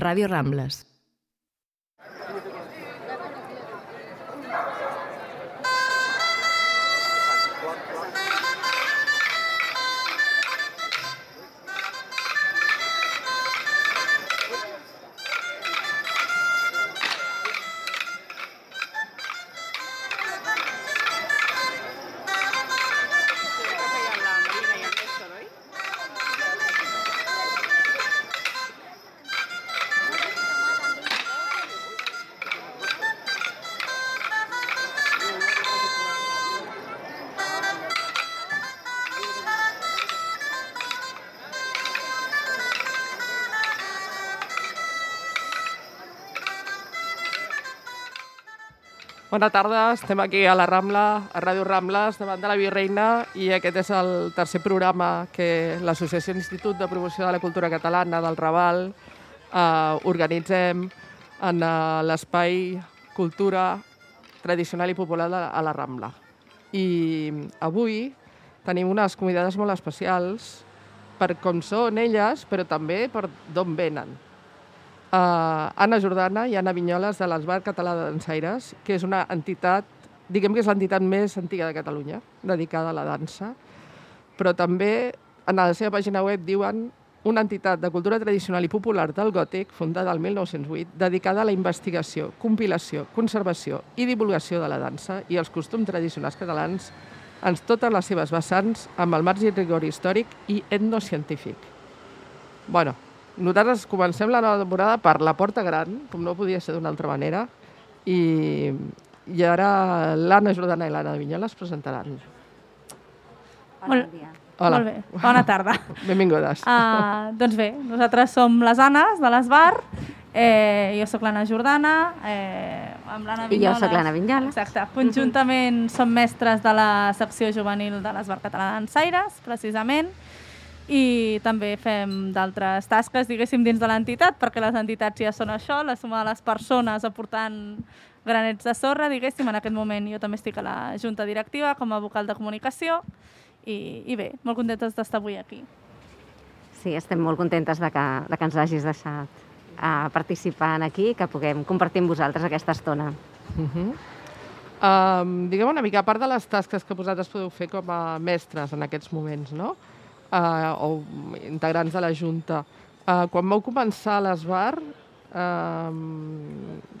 Ràdio Rambles. Bona tarda, estem aquí a la Rambla, a Ràdio Rambles, davant de la Virreina, i aquest és el tercer programa que l'Associació Institut de Promoció de la Cultura Catalana del Raval organitzem en l'espai Cultura Tradicional i Popular a la Rambla. I avui tenim unes convidades molt especials per com són elles, però també per d'on venen. Anna Jordana i Anna Vinyoles de l'Esbart Català de Dansaires, que és una entitat, diguem que és l'entitat més antiga de Catalunya, dedicada a la dansa, però també en la seva pàgina web diuen una entitat de cultura tradicional i popular del gòtic, fundada el 1908, dedicada a la investigació, compilació, conservació i divulgació de la dansa i els costums tradicionals catalans en totes les seves vessants amb el marge i rigor històric i etnocientífic. Bueno, nosaltres comencem la nova temporada per la Porta Gran, com no podia ser d'una altra manera, i ara l'Anna Jordana i l'Anna Vinyoles presentaran. Bon dia. Hola. Molt bé, bona tarda. Benvingudes. Doncs bé, nosaltres som les Annes de l'Esbart, jo sóc l'Anna Jordana, amb l'Anna Vinyoles. I jo sóc l'Anna Vinyoles. Exacte. Conjuntament som mestres de la secció juvenil de l'Esbart Català de Dansaires, precisament, i també fem d'altres tasques, diguéssim, dins de l'entitat, perquè les entitats ja són això, la suma de les persones aportant granets de sorra, diguéssim. En aquest moment jo també estic a la Junta Directiva com a vocal de comunicació i bé, molt contentes d'estar avui aquí. Sí, estem molt contentes de que ens hagis deixat participar aquí i que puguem compartir amb vosaltres aquesta estona. Diguem una mica, a part de les tasques que vosaltres podeu fer com a mestres en aquests moments, no? O integrants de la Junta. Quan vau començar a l'Esbart,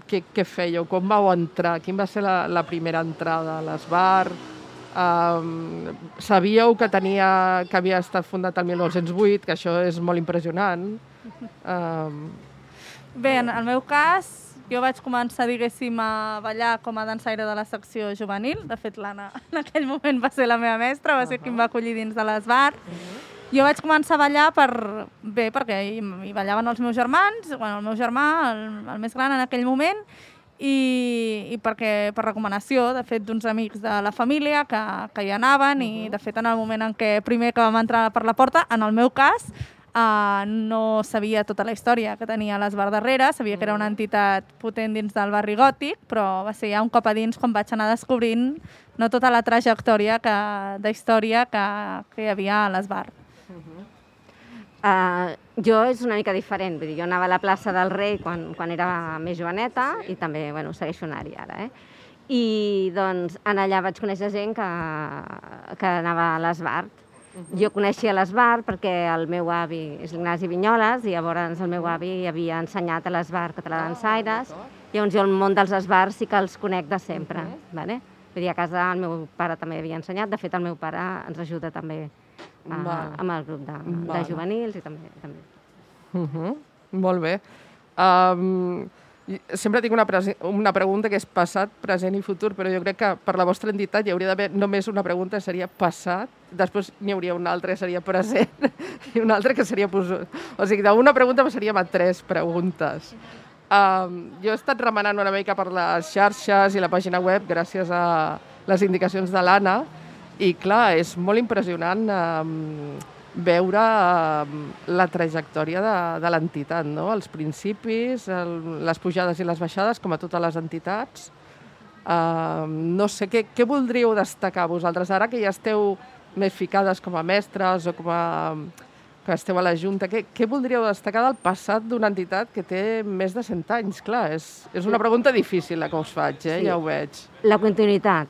què fèieu? Com vau entrar? Quina va ser la primera entrada a l'Esbart? Sabíeu que havia estat fundat el 1908, que això és molt impressionant? Bé, en el meu cas, jo vaig començar, diguéssim, a ballar com a dansaire de la secció juvenil. De fet, l'Anna en aquell moment va ser la meva mestra, va ser qui em va acollir dins de l'Esbart. Jo vaig començar a ballar perquè hi ballaven els meus germans, el meu germà, el més gran en aquell moment, i per recomanació, de fet, d'uns amics de la família que hi anaven, i de fet, en el moment en què primer que vam entrar per la porta, en el meu cas, no sabia tota la història que tenia l'Esbart darrere, sabia que era una entitat potent dins del barri gòtic, però va ser ja un cop a dins quan vaig anar descobrint no tota la trajectòria d'història que hi havia a l'Esbart. Jo és una mica diferent, vull dir, jo anava a la plaça del Rei quan era més joveneta i també segueixo anar-hi ara. I doncs allà vaig conèixer gent que anava a l'Esbart. Jo coneixia l'Esbart perquè el meu avi és l'Ignasi Vinyoles i llavors el meu avi havia ensenyat a l'Esbart Català de Dansaires. Llavors jo el món dels esbarts sí que els conec de sempre. Vull dir, a casa el meu pare també havia ensenyat, de fet el meu pare ens ajuda també amb el grup de juvenils i també. Molt bé. Sempre tinc una pregunta que és passat, present i futur, però jo crec que per la vostra entitat hi hauria d'haver només una pregunta, seria passat, després n'hi hauria una altra que seria present i una altra que seria futur. O sigui, d'una pregunta passaríem a 3 preguntes. Jo he estat remenant una mica per les xarxes i la pàgina web gràcies a les indicacions de l'Anna i, clar, és molt impressionant veure la trajectòria de l'entitat, no? Els principis, les pujades i les baixades, com a totes les entitats. No sé, què voldríeu destacar vosaltres ara que ja esteu més ficades com a mestres o com a que esteu a la Junta, què voldríeu destacar del passat d'una entitat que té més de 100 anys? Clar, és una pregunta difícil la que us faig, Sí. ja ho veig. La continuïtat,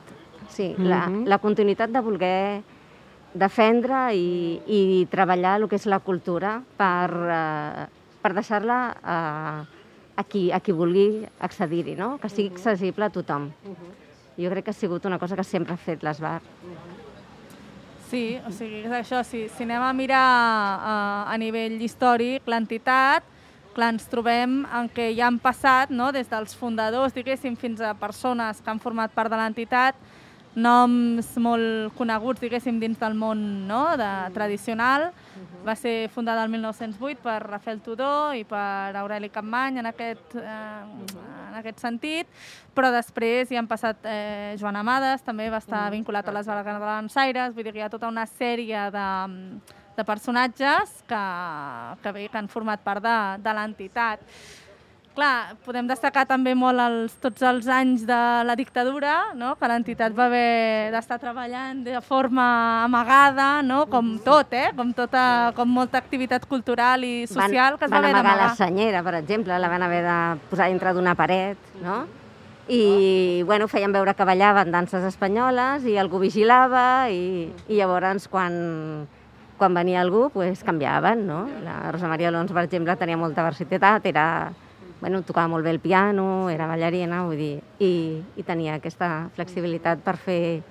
sí, la continuïtat de voler defendre i treballar el que és la cultura per deixar-la a qui vulgui accedir-hi, no? Que sigui accessible a tothom. Jo crec que ha sigut una cosa que sempre ha fet l'Esbar. Sí, o sigui, és això, si anem a mirar a nivell històric l'entitat, clar, ens trobem en què ja han passat, no?, des dels fundadors, diguéssim, fins a persones que han format part de l'entitat, noms molt coneguts, diguéssim, dins del món, no?, tradicional. Va ser fundada el 1908 per Rafael Tudó i per Aureli Capmany en aquest sentit, però després hi han passat Joan Amades, també va estar vinculat a les Balançaires, vull dir que hi ha tota una sèrie de personatges que han format part de l'entitat. Clar, podem destacar també molt tots els anys de la dictadura, no?, que l'entitat va haver d'estar treballant de forma amagada, no?, com tot, com molta activitat cultural i social que es va haver d'amagar. Van amagar la senyera, per exemple, la van haver de posar dintre d'una paret, no? I bueno, feien veure que ballaven danses espanyoles i algú vigilava i llavors quan venia algú pues, canviaven, no? La Rosa Maria Alonso, per exemple, tenia molta versitat, tocava molt bé el piano, era ballarina, vull dir, i tenia aquesta flexibilitat per fer,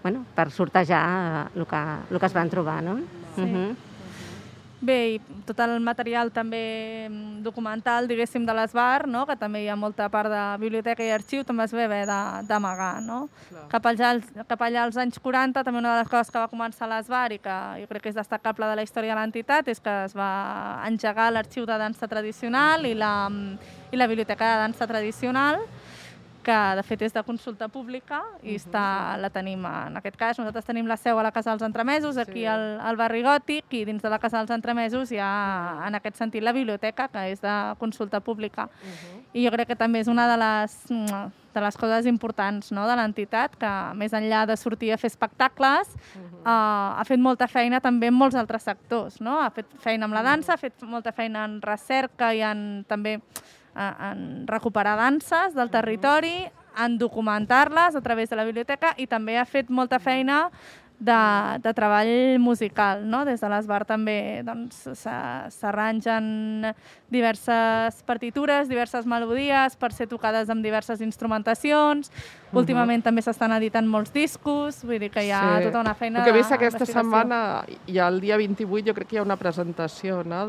per sortejar el que es van trobar, no? Sí. Bé, i tot el material també documental, diguéssim, de l'Esbar, no?, que també hi ha molta part de biblioteca i arxiu, també es va haver d'amagar, no? Cap allà als anys 40, també una de les coses que va començar l'Esbar i que jo crec que és destacable de la història de l'entitat és que es va engegar l'arxiu de dansa tradicional i la biblioteca de dansa tradicional, que de fet és de consulta pública i la tenim, en aquest cas, nosaltres tenim la seu a la Casa dels Entremesos, aquí al barri Gòtic, i dins de la Casa dels Entremesos hi ha, en aquest sentit, la biblioteca, que és de consulta pública. I jo crec que també és una de les coses importants, no?, de l'entitat, que més enllà de sortir a fer espectacles, ha fet molta feina també en molts altres sectors, no? Ha fet feina amb la dansa, ha fet molta feina en recerca i també en recuperar danses del territori, en documentar-les a través de la biblioteca i també ha fet molta feina de treball musical, no? Des de l'Esbar també s'arrangen diverses partitures, diverses melodies per ser tocades amb diverses instrumentacions. Últimament també s'estan editant molts discos, vull dir que hi ha tota una feina d'investigació. El que he vist aquesta setmana, i el dia 28, jo crec que hi ha una presentació, no?,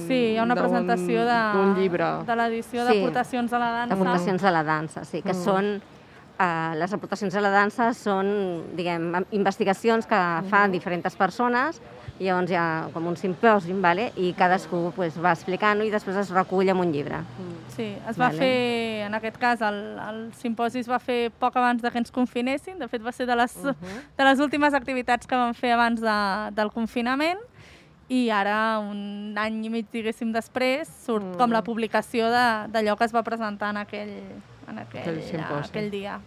Sí, hi ha una presentació d'un llibre. De l'edició d'Aportacions a la dansa. D'Aportacions a la dansa, sí, que són... Les aportacions a la dansa són, diguem, investigacions que fan diferents persones, i llavors hi ha com un simpòsium, i cadascú va explicant-ho i després es recull en un llibre. Sí, es va fer, en aquest cas, el simpòsi es va fer poc abans que ens confinessin, de fet va ser de les últimes activitats que vam fer abans del confinament, i ara, un any i mig, diguéssim, després, surt com la publicació d'allò que es va presentar en aquell dia.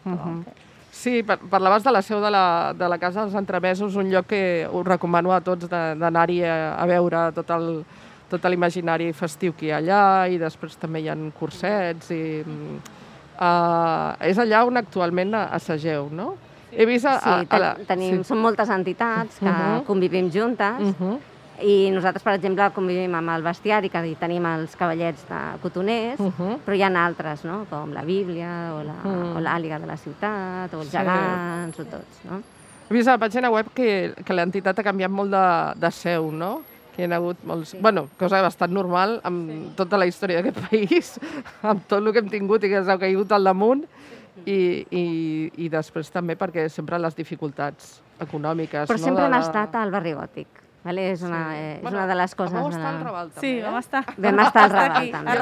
Sí, parlaves de la seu de la Casa dels Entremesos, un lloc que us recomano a tots d'anar-hi a veure tot l'imaginari festiu que hi ha allà, i després també hi ha cursets. És allà on actualment assageu, no? He vist són moltes entitats que convivim juntes, i nosaltres, per exemple, convivim amb el bestiari, que hi tenim els cavallets de cotoners, però hi ha altres, no?, com la Bíblia o l'Àliga de la ciutat, o els gegants, o tots, no? He vist a la pàgina web que l'entitat ha canviat molt de seu, no? Que hi ha hagut molts... cosa bastant normal amb tota la història d'aquest país, amb tot el que hem tingut i que s'ha caigut al damunt, i després també perquè sempre les dificultats econòmiques... Però sempre hem estat al barri Gòtic. És una de les coses... Vam estar al Raval, també. Sí, vam estar al Raval, també.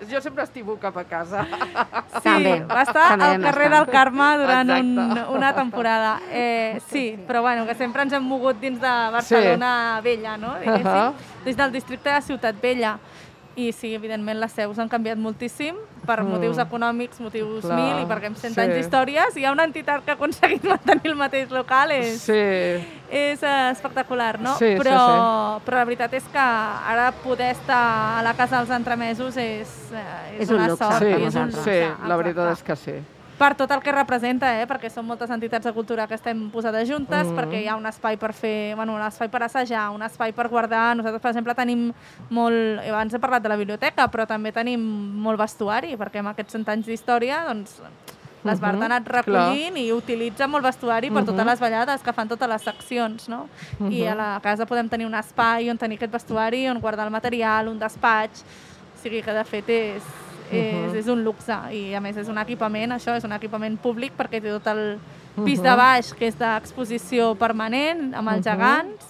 Jo sempre estivo cap a casa. Sí, va estar al carrer del Carme durant una temporada. Sí, però que sempre ens hem mogut dins de Barcelona Vella, no? Des del districte de Ciutat Vella. I sí, evidentment les seus han canviat moltíssim per motius econòmics, motius Clar, mil, i perquè amb 100 anys d'històries hi ha una entitat que ha aconseguit mantenir el mateix local, és espectacular, no? Però la veritat és que ara poder estar a la Casa dels Entremesos és una sort. És un luxe. Sí, la veritat és que sí. Per tot el que representa, perquè són moltes entitats de cultura que estem posades juntes, perquè hi ha un espai per fer, un espai per assajar, un espai per guardar. Nosaltres, per exemple, tenim molt... Abans he parlat de la biblioteca, però també tenim molt vestuari, perquè amb aquests 100 anys d'història, doncs, l'Esbart ha anat recollint i utilitza molt vestuari per totes les ballades que fan totes les seccions, no? I a la casa podem tenir un espai on tenir aquest vestuari, on guardar el material, un despatx. O sigui que, de fet, és un luxe i a més és un equipament, això és un equipament públic perquè té tot el pis de baix que és d'exposició permanent amb els gegants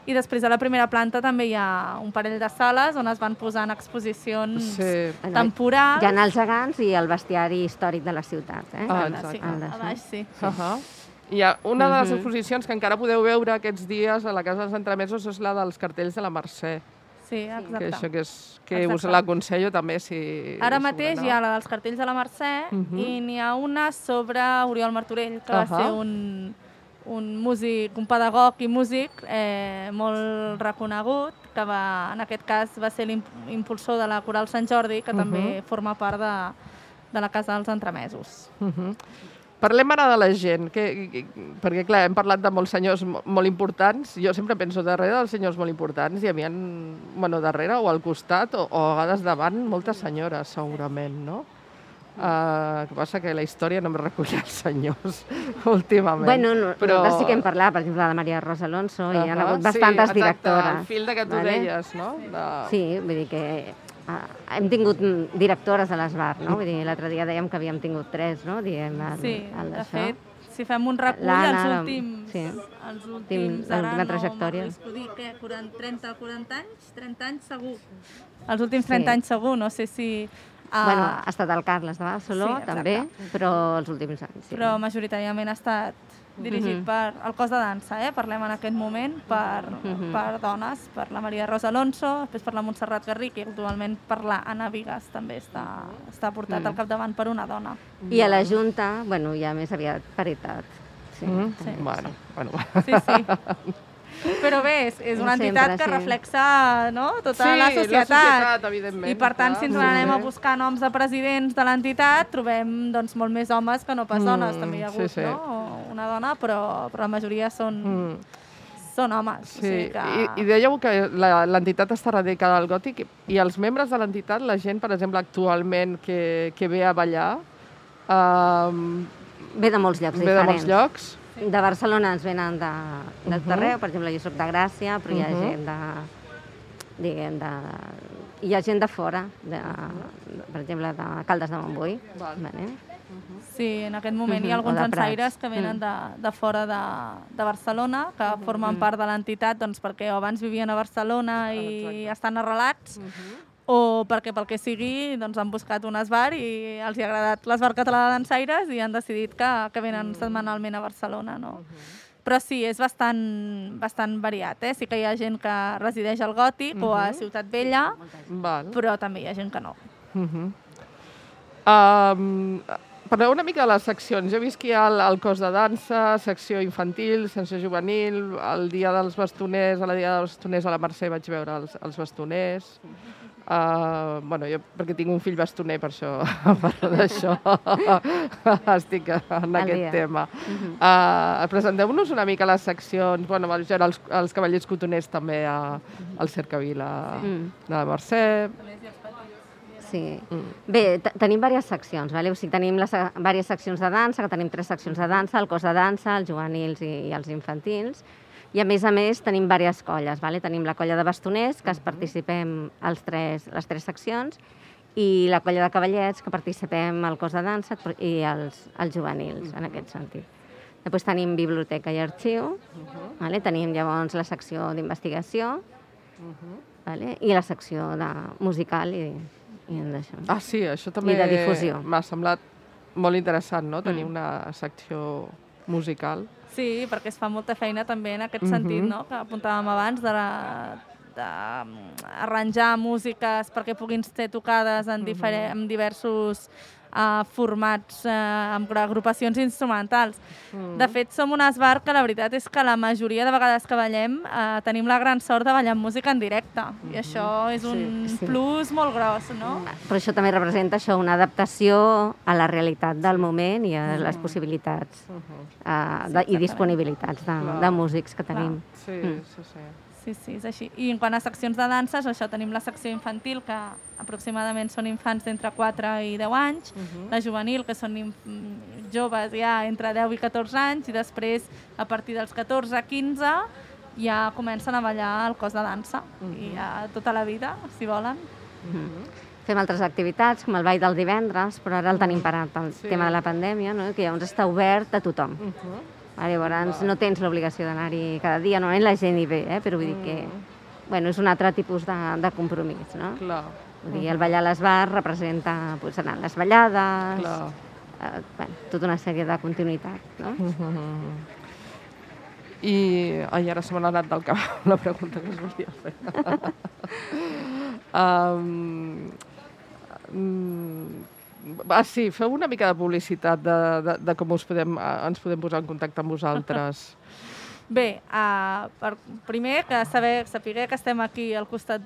i després a la primera planta també hi ha un parell de sales on es van posant exposicions temporals. Hi ha els gegants i el bestiari històric de la ciutat. A baix sí. Hi ha una de les exposicions que encara podeu veure aquests dies a la Casa dels Entremesos és la dels cartells de la Mercè. Sí, exacte. Que això que us l'aconsello també si... Ara mateix hi ha la dels cartells de la Mercè i n'hi ha una sobre Oriol Martorell, que va ser un músic, un pedagog i músic molt reconegut, que en aquest cas va ser l'impulsor de la Coral Sant Jordi, que també forma part de la Casa dels Entremesos. Parlem ara de la gent, perquè clar, hem parlat de molts senyors molt importants. Jo sempre penso darrere dels senyors molt importants i a mi darrere o al costat o a vegades davant moltes senyores, segurament, no? El que passa que la història no em recull els senyors últimament. Bueno, però sí que hem parlat, per exemple, de la Maria Rosa Alonso, i hi ha hagut bastantes directores. Sí, exacte, el fil que tu deies, no? Sí, vull dir que hem tingut directores a l'Esbart, no? Vull dir, l'altre dia dèiem que havíem tingut 3, no? Sí, de fet, si fem un recull, els últims trajectòria. No m'arrisco dir que 30 anys segur. Els últims 30 anys segur, no sé si... Bueno, ha estat el Carles de Barceló, també, però els últims anys. Però majoritàriament ha estat dirigit per el cos de dansa, parlem en aquest moment, per dones, per la Maria Rosa Alonso, després per la Montserrat Garric i actualment per la Anna Vigas també està portat al capdavant per una dona. I a la Junta, bueno, ja més aviat paritat. Bueno. Sí. Però bé, és una entitat que reflexa tota la societat, evidentment. I per tant, si ens n'anem a buscar noms de presidents de l'entitat, trobem molt més homes que no pas dones. També hi ha hagut una dona, però la majoria són homes. Sí, i dèieu que l'entitat està radicada al gòtic i els membres de l'entitat, la gent, per exemple, actualment que ve a ballar... Ve de molts llocs diferents. Ve de molts llocs. De Barcelona ens venen de tot arreu, per exemple, jo soc de Gràcia, però hi ha gent hi ha gent de fora, per exemple, de Caldes de Montbui. Sí, en aquest moment hi ha alguns dansaires que venen de fora de Barcelona, que formen part de l'entitat perquè abans vivien a Barcelona i estan arrelats, o perquè pel que sigui han buscat un esbar i els ha agradat l'esbar català de dansaires i han decidit que venen setmanalment a Barcelona. Però sí, és bastant variat. Sí que hi ha gent que resideix al Gòtic o a Ciutat Vella, però també hi ha gent que no. Parleu una mica de les seccions. Jo he vist que hi ha el cos de dansa, secció infantil, secció juvenil, el dia dels bastoners, a la dia dels bastoners a la Mercè vaig veure els bastoners. Jo perquè tinc un fill bastoner, per això parlo d'això. Estic en aquest tema. Presenteu-nos una mica les seccions. Els cavallers cotoners també al Cercavila de la Mercè. Sí. Bé, tenim diverses seccions, o sigui, tenim diverses seccions de dansa, que tenim 3 seccions de dansa, el cos de dansa, els juvenils i els infantils, i a més tenim diverses colles. Tenim la colla de bastoners, que participem les 3 seccions, i la colla de cavallets, que participem al cos de dansa i els juvenils, en aquest sentit. Després tenim biblioteca i arxiu, tenim llavors la secció d'investigació i la secció musical i d'això. Ah, sí, això també m'ha semblat molt interessant, no?, tenir una secció musical. Sí, perquè es fa molta feina també en aquest sentit, no?, que apuntàvem abans, arranjar músiques perquè puguin ser tocades en diversos formats amb agrupacions instrumentals. De fet, som un esbar que la veritat és que la majoria de vegades que ballem tenim la gran sort de ballar música en directe. I això és un plus molt gros, no? Però això també representa una adaptació a la realitat del moment i a les possibilitats i disponibilitats de músics que tenim. Sí, és així. I en quant a seccions de danses, això tenim la secció infantil, que aproximadament són infants d'entre 4 i 10 anys, la juvenil, que són joves ja entre 10 i 14 anys, i després, a partir dels 14-15, ja comencen a ballar el cos de dansa, i ja tota la vida, si volen. Fem altres activitats, com el ball del divendres, però ara el tenim parat, el tema de la pandèmia, que llavors està obert a tothom. Llavors no tens l'obligació d'anar-hi cada dia, normalment la gent hi ve, però vull dir que és un altre tipus de compromís, no? Vull dir, el ballar a l'esbar representa anar a les ballades, tota una sèrie de continuïtat, no? I ara se m'ha anat del cap la pregunta que es volia fer. Sí, feu una mica de publicitat de com ens podem posar en contacte amb vosaltres. Bé, primer que saber que estem aquí al costat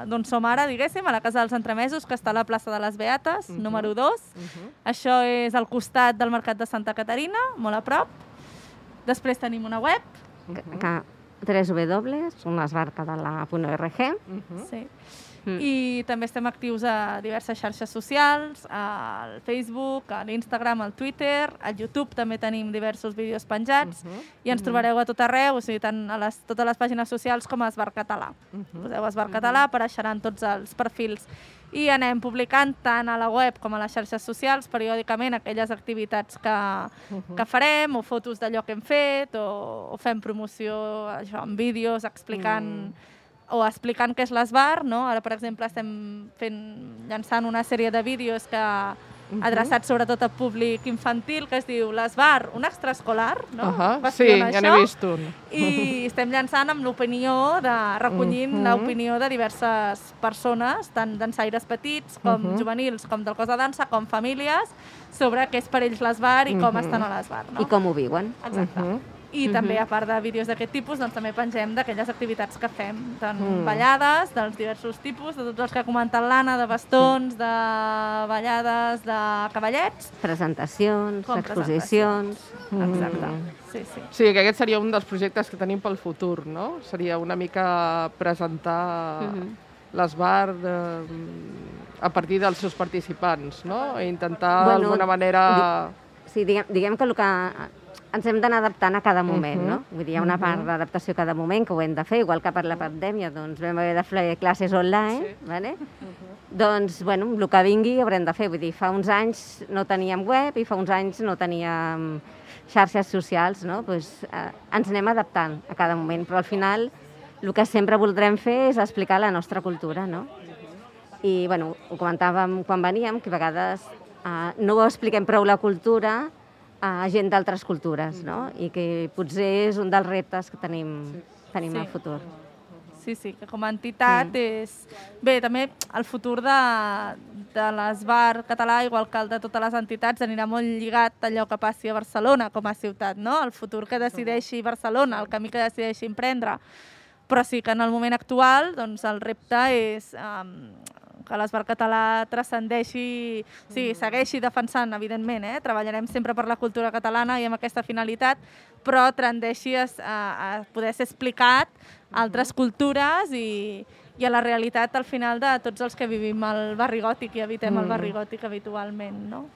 d'on som ara, diguéssim, a la Casa dels Entremesos, que està a la plaça de les Beates, número 2. Això és al costat del Mercat de Santa Caterina, molt a prop. Després tenim una web. www.esbarcadala.org. Sí. I també estem actius a diverses xarxes socials, al Facebook, a l'Instagram, al Twitter, al YouTube també tenim diversos vídeos penjats i ens trobareu a tot arreu, o sigui, tant a totes les pàgines socials com a Esbar Català. Poseu Esbar Català, apareixeran tots els perfils. I anem publicant tant a la web com a les xarxes socials periòdicament aquelles activitats que farem o fotos d'allò que hem fet o fem promoció amb vídeos explicant què és l'esbar, no? Ara, per exemple, estem llançant una sèrie de vídeos adreçats sobretot a públic infantil, que es diu l'esbar, un extraescolar, no? Sí, ja n'he vist un. I estem llançant amb recollint l'opinió de diverses persones, tant dansaires petits com juvenils, com del cos de dansa, com famílies, sobre què és per ells l'esbar i com estan a l'esbar, no? I com ho viuen. Exacte. I també, a part de vídeos d'aquest tipus, doncs també pengem d'aquelles activitats que fem, tant ballades, dels diversos tipus, de tots els que ha comentat l'Anna, de bastons, de ballades, de cavallets. Presentacions, exposicions. Exacte, sí. Sí, que aquest seria un dels projectes que tenim pel futur, no? Seria una mica presentar l'esbar a partir dels seus participants, no? I intentar d'alguna manera... Sí, diguem que el que ens hem d'anar adaptant a cada moment, no? Vull dir, hi ha una part d'adaptació a cada moment que ho hem de fer, igual que per la pandèmia, doncs vam haver de fer classes online, vale? Doncs, el que vingui haurem de fer. Vull dir, fa uns anys no teníem web i fa uns anys no teníem xarxes socials, no? Doncs ens anem adaptant a cada moment, però al final el que sempre voldrem fer és explicar la nostra cultura, no? I, ho comentàvem quan veníem, que a vegades no expliquem prou la cultura a gent d'altres cultures, no? I que potser és un dels reptes que tenim al futur. Sí, que com a entitat és... Bé, també el futur de l'esbar català, igual que el de totes les entitats, anirà molt lligat a allò que passi a Barcelona com a ciutat, no? El futur que decideixi Barcelona, el camí que decideixi emprendre. Però sí que en el moment actual doncs, el repte és que l'esbar català transcendeixi, segueixi defensant, evidentment, treballarem sempre per la cultura catalana i amb aquesta finalitat, però tendeixi a poder ser explicat a altres cultures i a la realitat al final de tots els que vivim al barri gòtic i habitem el barri gòtic habitualment, no?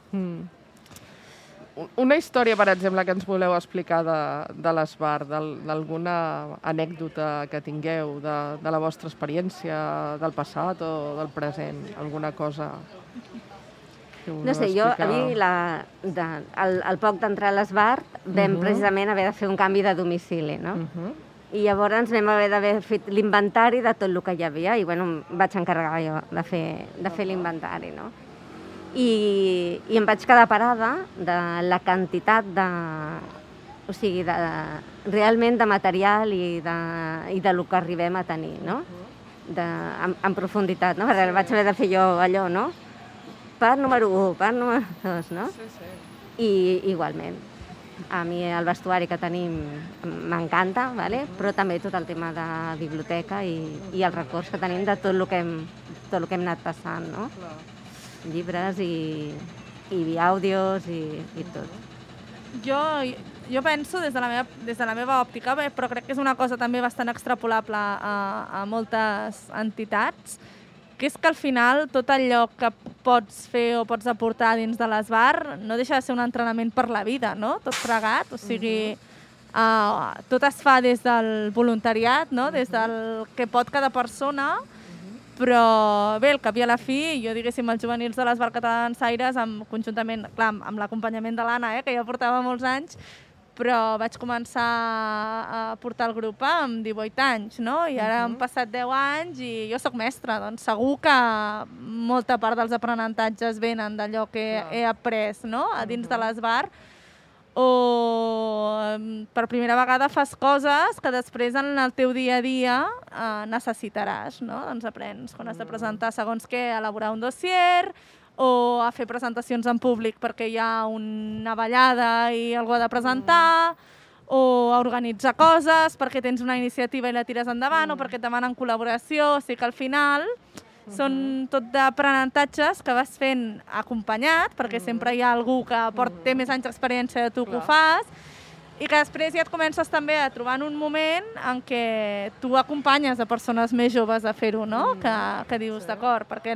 Una història, per exemple, que ens voleu explicar de l'esbar, d'alguna anècdota que tingueu, de la vostra experiència del passat o del present, alguna cosa que voleu explicar? A mi, al poc d'entrar a l'esbar, vam precisament haver de fer un canvi de domicili, no? I llavors vam haver d'haver fet l'inventari de tot el que hi havia i, em vaig encarregar jo de fer l'inventari, no? I em vaig quedar parada de la quantitat realment de material i de lo que arribem a tenir, no? en profunditat, no? Perquè vaig haver de fer jo allò, no? Part número 1, part número 2, no? Sí. I igualment. A mi el vestuari que tenim m'encanta, ¿vale? Però també tot el tema de biblioteca i els records que tenim de tot el que hem anat passant, no? Clar. Llibres i àudios i tot. Jo penso des de la meva òptica, però crec que és una cosa també bastant extrapolable a moltes entitats, que és que al final tot allò que pots fer o pots aportar dins de l'ESBAR no deixa de ser un entrenament per la vida, no? Tot plegat, o sigui, tot es fa des del voluntariat, no? Des del que pot cada persona, però bé, al cap i a la fi, jo diguéssim els juvenils de l'ESBAR Catalansaires, conjuntament, clar, amb l'acompanyament de l'Anna, que ja portava molts anys, però vaig començar a portar el grup amb 18 anys, no? I ara han passat 10 anys i jo sóc mestra, doncs segur que molta part dels aprenentatges venen d'allò que he après, no? A dins de l'ESBAR, o per primera vegada fas coses que després en el teu dia a dia necessitaràs, no? Doncs aprens quan has de presentar segons què, elaborar un dossier, o a fer presentacions en públic perquè hi ha una ballada i algú ha de presentar, o a organitzar coses perquè tens una iniciativa i la tires endavant, o perquè et demanen col·laboració, o sigui que al final són tot d'aprenentatges que vas fent acompanyat, perquè sempre hi ha algú que té més anys d'experiència de tu que ho fas, i que després ja et comences també a trobar en un moment en què tu acompanyes a persones més joves a fer-ho, no? Que dius, d'acord, perquè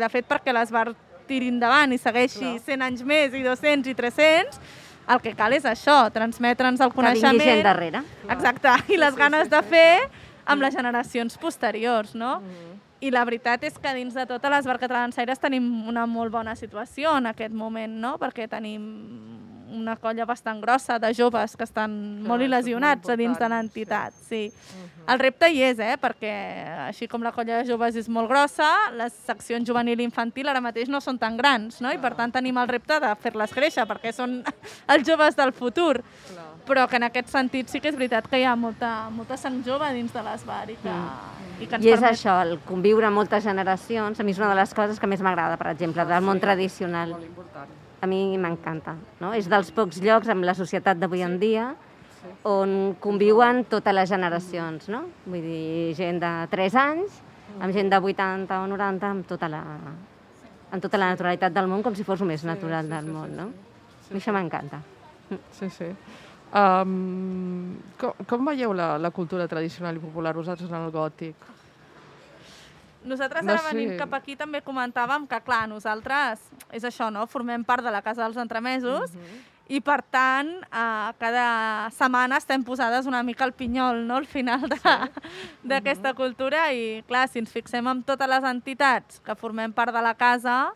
de fet perquè l'ESBAR tiri endavant i segueixi 100 anys més i 200 i 300, el que cal és això, transmetre'ns el coneixement. Que vingui gent darrere. Exacte, i les ganes de fer amb les generacions posteriors, no? I la veritat és que dins de tota l'ESBAR Catalansaires tenim una molt bona situació en aquest moment, no? Perquè tenim una colla bastant grossa de joves que estan molt il·lesionats a dins de l'entitat. Sí. El repte hi és, perquè així com la colla de joves és molt grossa, les seccions juvenil i infantil ara mateix no són tan grans, no? I per tant tenim el repte de fer-les créixer, perquè són els joves del futur. Però que en aquest sentit sí que és veritat que hi ha molta sang jove dins de l'ESBAR i que ens permet... I és això, el conviure amb moltes generacions, a mi és una de les coses que més m'agrada, per exemple, del món tradicional. Molt important. A mi m'encanta, no? És dels pocs llocs amb la societat d'avui en dia on conviuen totes les generacions, no? Vull dir, gent de 3 anys, amb gent de 80 o 90, amb tota la naturalitat del món, com si fos el més natural del món, no? A mi això m'encanta. Sí. Com veieu la cultura tradicional i popular vosaltres en el gòtic? Nosaltres ara venint cap aquí també comentàvem que, clar, nosaltres, és això, no? Formem part de la Casa dels Entremesos i, per tant, cada setmana estem posades una mica al pinyol, no?, al final d'aquesta cultura i, clar, si ens fixem en totes les entitats que formem part de la casa,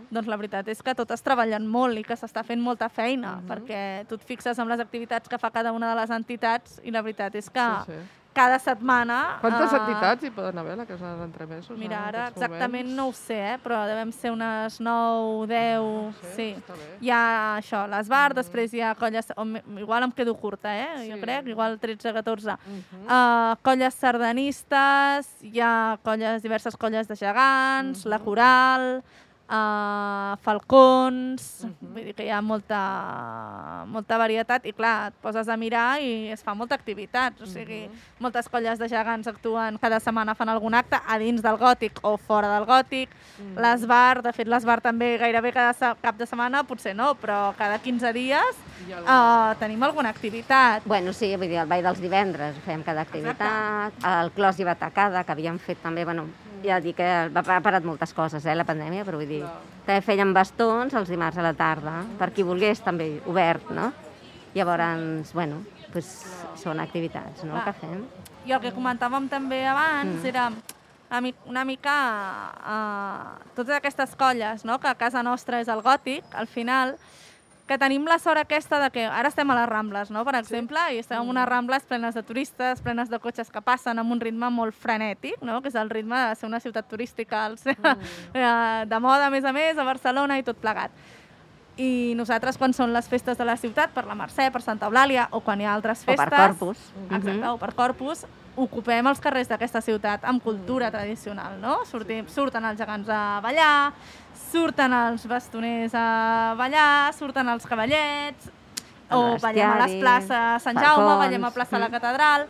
doncs la veritat és que totes treballen molt i que s'està fent molta feina, perquè tu et fixes en les activitats que fa cada una de les entitats i la veritat és que cada setmana... Quantes entitats hi poden haver a la Casa dels Entremesos? Mira, ara exactament no ho sé, però devem ser unes 9, 10... Sí. Hi ha això, l'ESBAR, després hi ha colles... Igual em quedo curta, jo crec, igual 13, 14. Colles sardanistes, hi ha diverses colles de gegants, la coral... falcons, vull dir que hi ha molta varietat i clar, et poses a mirar i es fa molta activitat, o sigui, moltes colles de gegants actuen, cada setmana fan algun acte a dins del gòtic o fora del gòtic, l'ESBAR, de fet l'ESBAR també gairebé cada cap de setmana, potser no, però cada 15 dies tenim alguna activitat. Bueno, sí, vull dir, el ball dels divendres, fèiem cada activitat, el clos i batacada, que havíem fet també, bueno, ja dic que ha parat moltes coses, la pandèmia, però vull dir, també fèiem bastons els dimarts a la tarda, per qui volgués també, obert, no? Llavors, bueno, són activitats, no?, que fem. I el que comentàvem també abans era una mica totes aquestes colles, no?, que a casa nostra és el gòtic, al final, que tenim la sort aquesta de que ara estem a les Rambles, no?, per exemple, i estem en unes Rambles plenes de turistes, plenes de cotxes que passen amb un ritme molt frenètic, no?, que és el ritme de ser una ciutat turística, de moda, a més, a Barcelona i tot plegat. I nosaltres, quan són les festes de la ciutat, per la Mercè, per Santa Eulàlia, o quan hi ha altres festes... O per Corpus. Exacte, o per Corpus, ocupem els carrers d'aquesta ciutat amb cultura tradicional, no? Surten els gegants a ballar, surten els bastoners a ballar, surten els cavallets, o ballem a les places Sant Jaume, ballem a plaça la Catedral.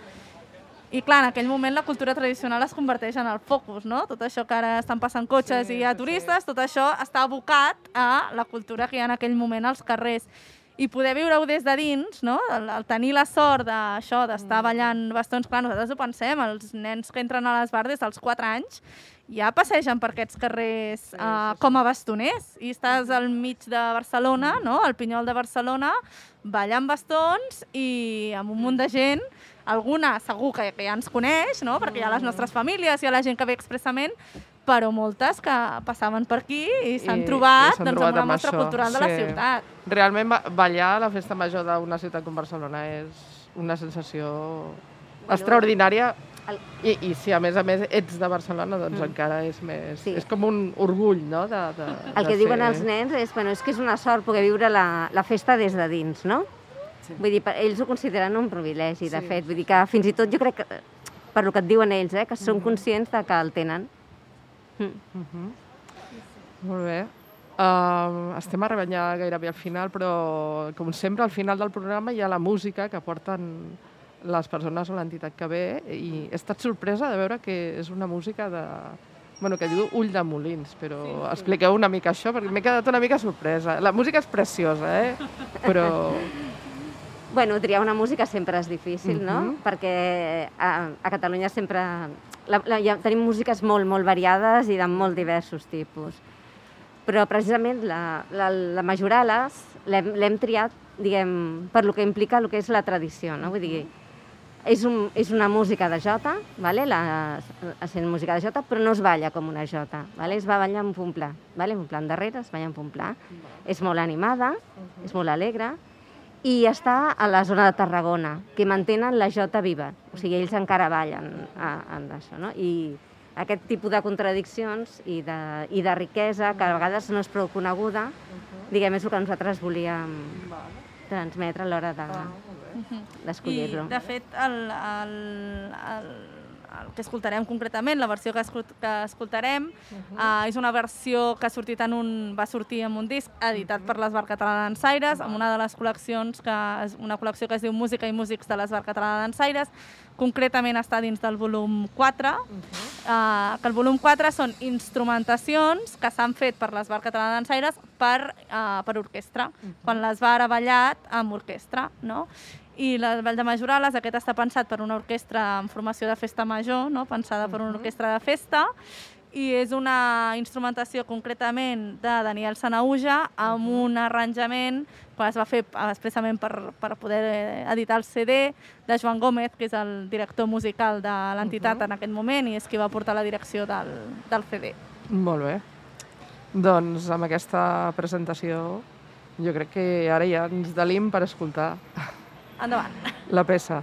I clar, en aquell moment la cultura tradicional es converteix en el focus, no? Tot això que ara estan passant cotxes i hi ha turistes, tot això està abocat a la cultura que hi ha en aquell moment als carrers. I poder viure-ho des de dins, no? El tenir la sort d'això, d'estar ballant bastons, clar, nosaltres ho pensem, els nens que entren a l'Esbar des dels 4 anys ja passegen per aquests carrers com a bastoners i estàs al mig de Barcelona, no? Al Pinyol de Barcelona, ballant bastons i amb un munt de gent, alguna segur que ja ens coneix, no? Perquè hi ha les nostres famílies, hi ha la gent que ve expressament, però moltes que passaven per aquí i s'han trobat amb la mostra cultural de la ciutat. Realment ballar a la festa major d'una ciutat com Barcelona és una sensació extraordinària i si a més ets de Barcelona, doncs encara és més... És com un orgull, no? El que diuen els nens és que és una sort poder viure la festa des de dins, no? Vull dir, ells ho consideren un privilegi, de fet. Vull dir que fins i tot jo crec que, per el que et diuen ells, que són conscients que el tenen. Molt bé. Estem arribant ja gairebé al final, però com sempre al final del programa hi ha la música que porten les persones o l'entitat que ve i he estat sorpresa de veure que és una música que diu Ull de Molins, però expliqueu una mica això perquè m'he quedat una mica sorpresa. La música és preciosa, però... Triar una música sempre és difícil, no? Perquè a Catalunya sempre... tenim músiques molt, molt variades i de molt diversos tipus. Però precisament la Majorales l'hem triat, diguem, per lo que implica el que és la tradició, no? Vull dir, és una música de jota, essent música de jota, però no es balla com una jota, es va ballar amb un pla, un pla endarrere, es balla amb un pla. És molt animada, és molt alegre, i està a la zona de Tarragona, que mantenen la jota viva, o sigui, ells encara ballen en això, no? I aquest tipus de contradiccions i de riquesa, que a vegades no és prou coneguda, diguem, és el que nosaltres volíem transmetre a l'hora d'escollir-lo. I, de fet, el que escoltarem concretament, la versió que escoltarem, és una versió que va sortir en un disc editat per l'Esbar Català de Dansaires, amb una de les col·leccions, una col·lecció que es diu Música i Músics de l'Esbar Català de Dansaires, concretament està dins del volum 4, que el volum 4 són instrumentacions que s'han fet per l'Esbar Català de Dansaires per orquestra, quan l'Esbar ha ballat amb orquestra, no? I el Ball de Majorales, aquest està pensat per una orquestra en formació de festa major, no? Pensada per una orquestra de festa, i és una instrumentació concretament de Daniel Sanauja amb un arranjament que es va fer expressament per poder editar el CD de Joan Gómez, que és el director musical de l'entitat en aquest moment i és qui va portar la direcció del CD. Molt bé. Doncs amb aquesta presentació jo crec que ara ja ens delim per escoltar. Endavant. La peça.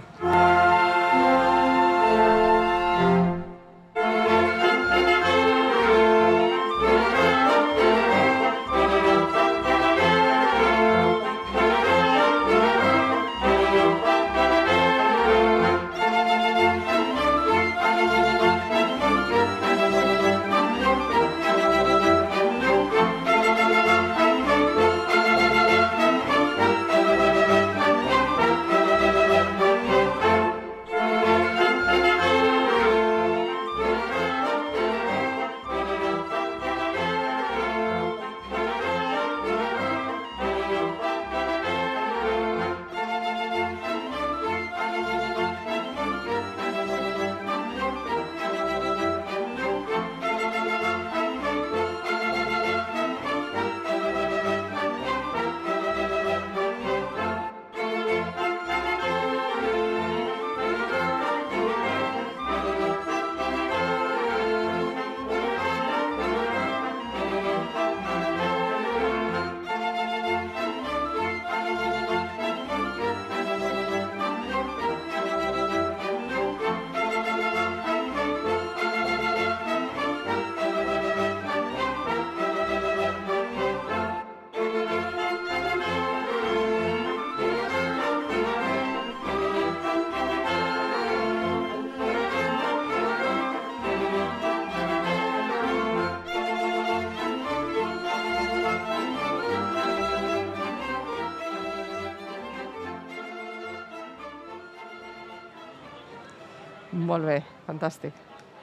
Molt bé, fantàstic.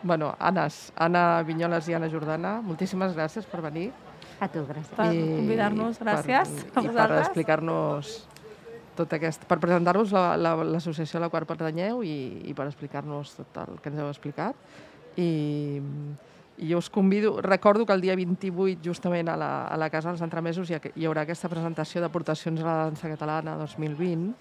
Bueno, Anna Vinyoles i Anna Jordana, moltíssimes gràcies per venir. A tu, gràcies. Per convidar-nos, gràcies a I per vosaltres. explicar-nos tot aquest... Per presentar-vos l'associació a la qual pertanyeu i per explicar-nos tot el que ens heu explicat. I jo us convido... Recordo que el dia 28, justament a la Casa dels Entremesos, hi haurà aquesta presentació d'aportacions a la dansa catalana 2020.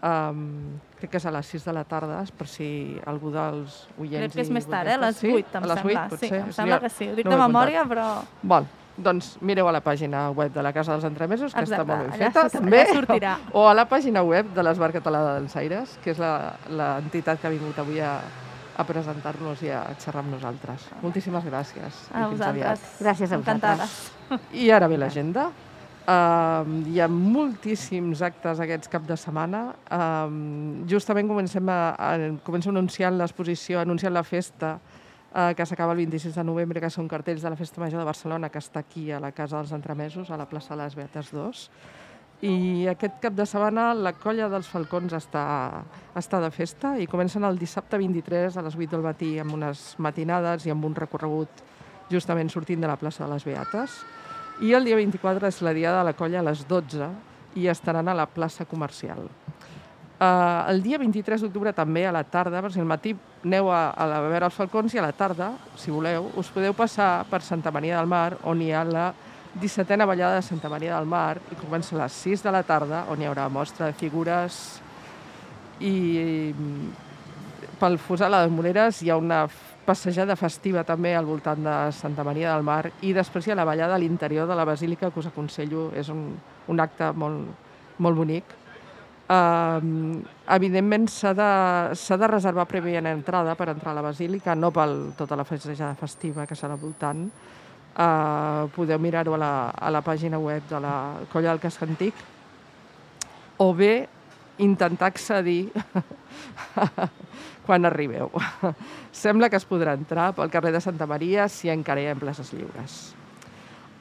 Crec que és a les 6 de la tarda, per si algú dels oients... Crec que és més tard, a les 8, em sembla. Sí, em sembla que sí. Ho dic de memòria, però... Bon, doncs mireu a la pàgina web de la Casa dels Entremesos, que està molt ben feta, allà també. sortirà. O a la pàgina web de l'Esbar Català de Dansaires, que és l'entitat que ha vingut avui a presentar-nos i a xerrar amb nosaltres. Moltíssimes gràcies. A vosaltres. Gràcies a vosaltres. Encantades. I ara ve l'agenda. Hi ha moltíssims actes aquests cap de setmana. Justament començo anunciant l'exposició, anunciant la festa que s'acaba el 26 de novembre, que són cartells de la Festa Major de Barcelona, que està aquí a la Casa dels Entremesos, a la plaça de les Beates 2. I aquest cap de setmana la Colla dels Falcons està de festa i comencen el dissabte 23 a les 8 del matí amb unes matinades i amb un recorregut justament sortint de la plaça de les Beates. I el dia 24 és la Diada de la Colla a les 12 i estaran a la plaça comercial. El dia 23 d'octubre també a la tarda, per si al matí aneu a veure els falcons, i a la tarda, si voleu, us podeu passar per Santa Maria del Mar, on hi ha la 17a ballada de Santa Maria del Mar, i comença a les 6 de la tarda, on hi haurà mostra de figures, i pel Fossar de les Moreres hi ha una passejada festiva també al voltant de Santa Maria del Mar, i després hi ha la ballada a l'interior de la Basílica, que us aconsello, és un acte molt bonic. Evidentment s'ha de reservar prèviament entrada per entrar a la Basílica, no per tota la passejada festiva que serà al voltant. Podeu mirar-ho a la pàgina web de la Colla del Casc Antic, o bé intentar accedir quan arribeu. Sembla que es podrà entrar pel carrer de Santa Maria si encara hi ha places lliures.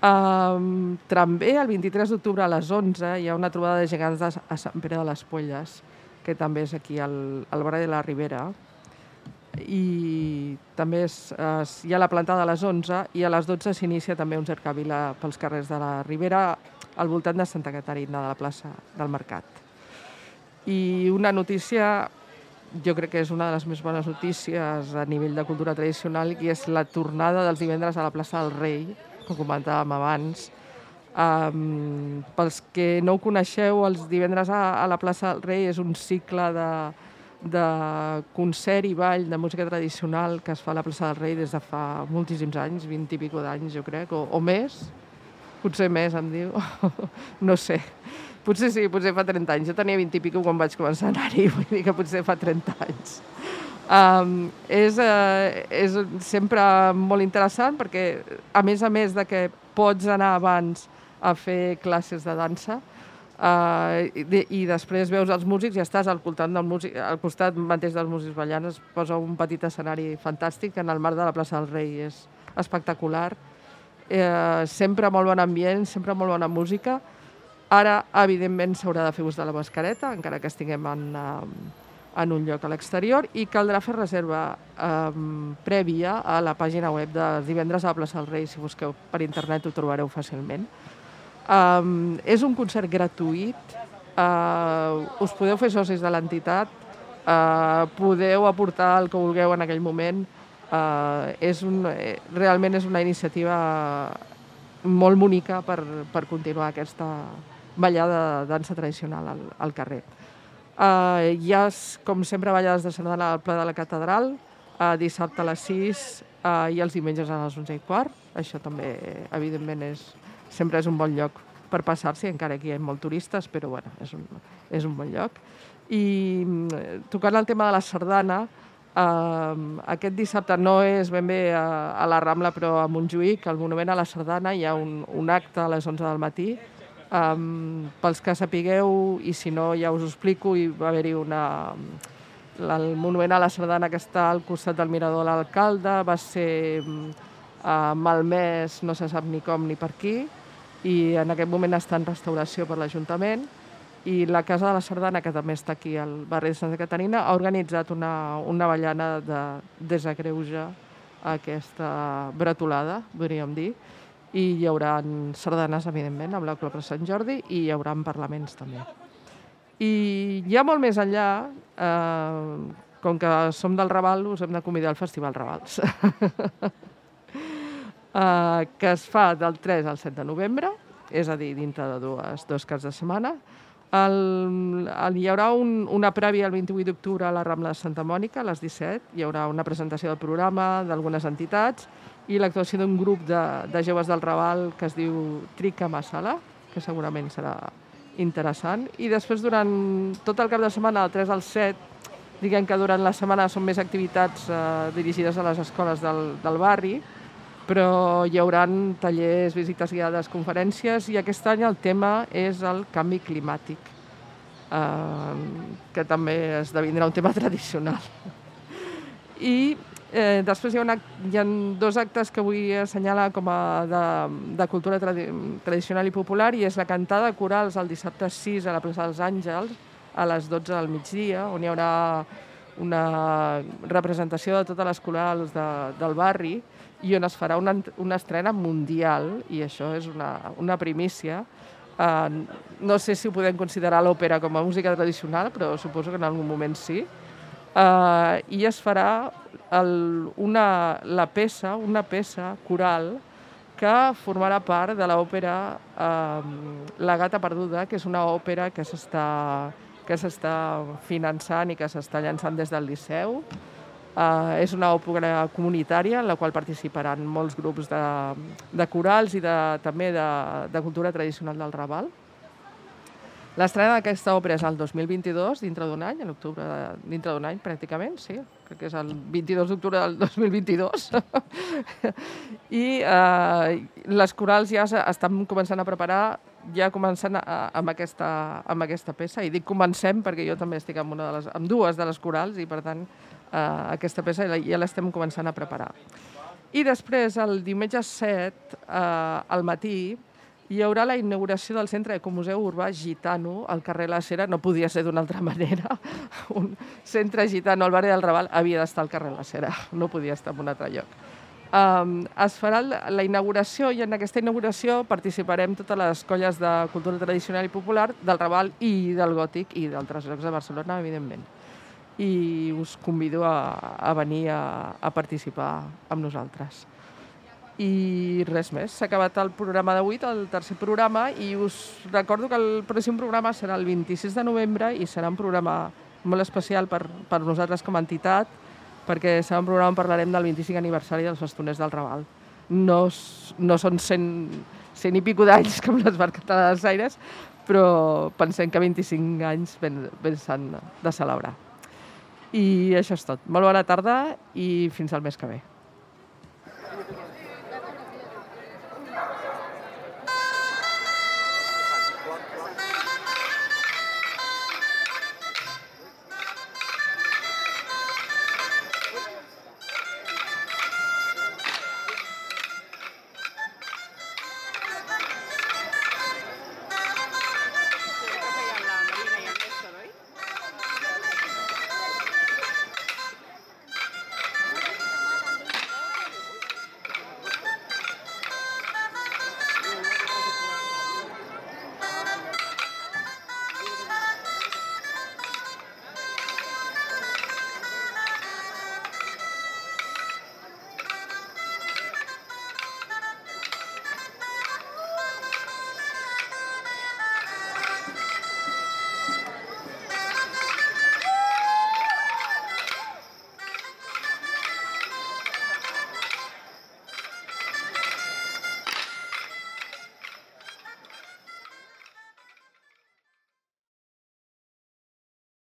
També el 23 d'octubre a les 11 hi ha una trobada de gegants a Sant Pere de les Polles, que també és aquí al barri de la Ribera, i també hi ha la plantada a les 11 i a les 12 s'inicia també un cercavila pels carrers de la Ribera al voltant de Santa Caterina, de la plaça del Mercat. I una notícia, jo crec que és una de les més bones notícies a nivell de cultura tradicional, i és la tornada dels divendres a la plaça del Rei, com comentàvem abans. Pels que no ho coneixeu, els divendres a la plaça del Rei és un cicle de concert i ball de música tradicional que es fa a la plaça del Rei des de fa moltíssims anys, 20 i pico d'anys, jo crec, o més. Potser més, em diu. No sé. Potser sí, potser fa 30 anys. Jo tenia 20 i pico quan vaig començar a anar-hi, vull dir que potser fa 30 anys. És sempre molt interessant perquè, a més de que pots anar abans a fer classes de dansa i després veus els músics i estàs al costat mateix dels músics ballant, es posa un petit escenari fantàstic en el marc de la plaça del Rei. És espectacular. Sempre molt bon ambient, sempre molt bona música. Ara, evidentment, s'haurà de fer ús de la mascareta, encara que estiguem en un lloc a l'exterior, i caldrà fer reserva prèvia a la pàgina web de divendres a la plaça del Rei. Si busqueu per internet ho trobareu fàcilment. És un concert gratuït, us podeu fer socis de l'entitat, podeu aportar el que vulgueu en aquell moment. Realment és una iniciativa molt bonica per continuar aquesta ballada de dansa tradicional al carrer. Hi ha, com sempre, ballades de sardana al Pla de la Catedral, dissabte a les 6 i els diumenges a les 11:15. Això també, evidentment, sempre és un bon lloc per passar-s'hi, encara que hi ha molts turistes, però bueno, és un bon lloc. I tocant el tema de la sardana, aquest dissabte no és ben bé a la Rambla, però a Montjuïc, al Monument a la Sardana, hi ha un acte a les 11 del matí. Pels que sapigueu, i si no ja us ho explico, hi va haver-hi el Monument a la Sardana, que està al costat del Mirador de l'Alcalde, va ser malmès, no se sap ni com ni per qui, i en aquest moment està en restauració per l'Ajuntament. I la Casa de la Sardana, que també està aquí al barri de Santa Caterina, ha organitzat una ballana de desagreuja a aquesta bretolada, podríem dir, i hi haurà sardanes, evidentment, amb la Clopra Sant Jordi, i hi haurà parlaments també. I ja molt més enllà, com que som del Raval, us hem de convidar al Festival Ravals, que es fa del 3 al 7 de novembre, és a dir, dintre de dos caps de setmana. Hi haurà una prèvia el 28 d'octubre a la Rambla de Santa Mònica, a les 17. Hi haurà una presentació del programa d'algunes entitats i l'actuació d'un grup de joves del Raval que es diu Trica Masala, que segurament serà interessant. I després, durant tot el cap de setmana, del 3 al 7, diguem que durant la setmana són més activitats dirigides a les escoles del barri, però hi haurà tallers, visites guiades, conferències, i aquest any el tema és el canvi climàtic, que també esdevindrà un tema tradicional. I després hi ha dos actes que vull assenyalar com a de cultura tradicional i popular, i és la cantada de corals el dissabte 6 a la plaça dels Àngels a les 12 del migdia, on hi haurà una representació de totes les corals del barri i on es farà una estrena mundial, i això és una primícia. No sé si ho podem considerar l'òpera com a música tradicional, però suposo que en algun moment sí. I es farà una peça coral que formarà part de l'òpera La gata perduda, que és una òpera que s'està finançant i que s'està llançant des del Liceu. És una òpera comunitària en la qual participaran molts grups de corals i també de cultura tradicional del Raval. L'estrena d'aquesta òpera és el 2022, dintre d'un any, a l'octubre, dintre d'un any pràcticament, sí, crec que és el 22 d'octubre del 2022. I les corals ja estan començant a preparar, ja començant amb aquesta peça, i dic comencem perquè jo també estic amb dues de les corals, i per tant aquesta peça ja l'estem començant a preparar. I després, el diumenge 7, al matí, hi haurà la inauguració del Centre Ecomuseu Urbà Gitano al carrer La Cera. No podia ser d'una altra manera. Un centre gitano al barri del Raval havia d'estar al carrer La Cera, no podia estar en un altre lloc. Es farà la inauguració, i en aquesta inauguració participarem totes les colles de cultura tradicional i popular del Raval i del Gòtic i d'altres llocs de Barcelona, evidentment. I us convido a venir a participar amb nosaltres. I res més, s'ha acabat el programa d'avui, el tercer programa, i us recordo que el pròxim programa serà el 26 de novembre i serà un programa molt especial per nosaltres com a entitat, perquè serà un programa on parlarem del 25 aniversari dels Bastoners del Raval. No són 100 i pico d'anys com l'Esbart Català dels Aires, però pensem que 25 anys ben s'han de celebrar. I això és tot. Molt bona tarda i fins al mes que ve.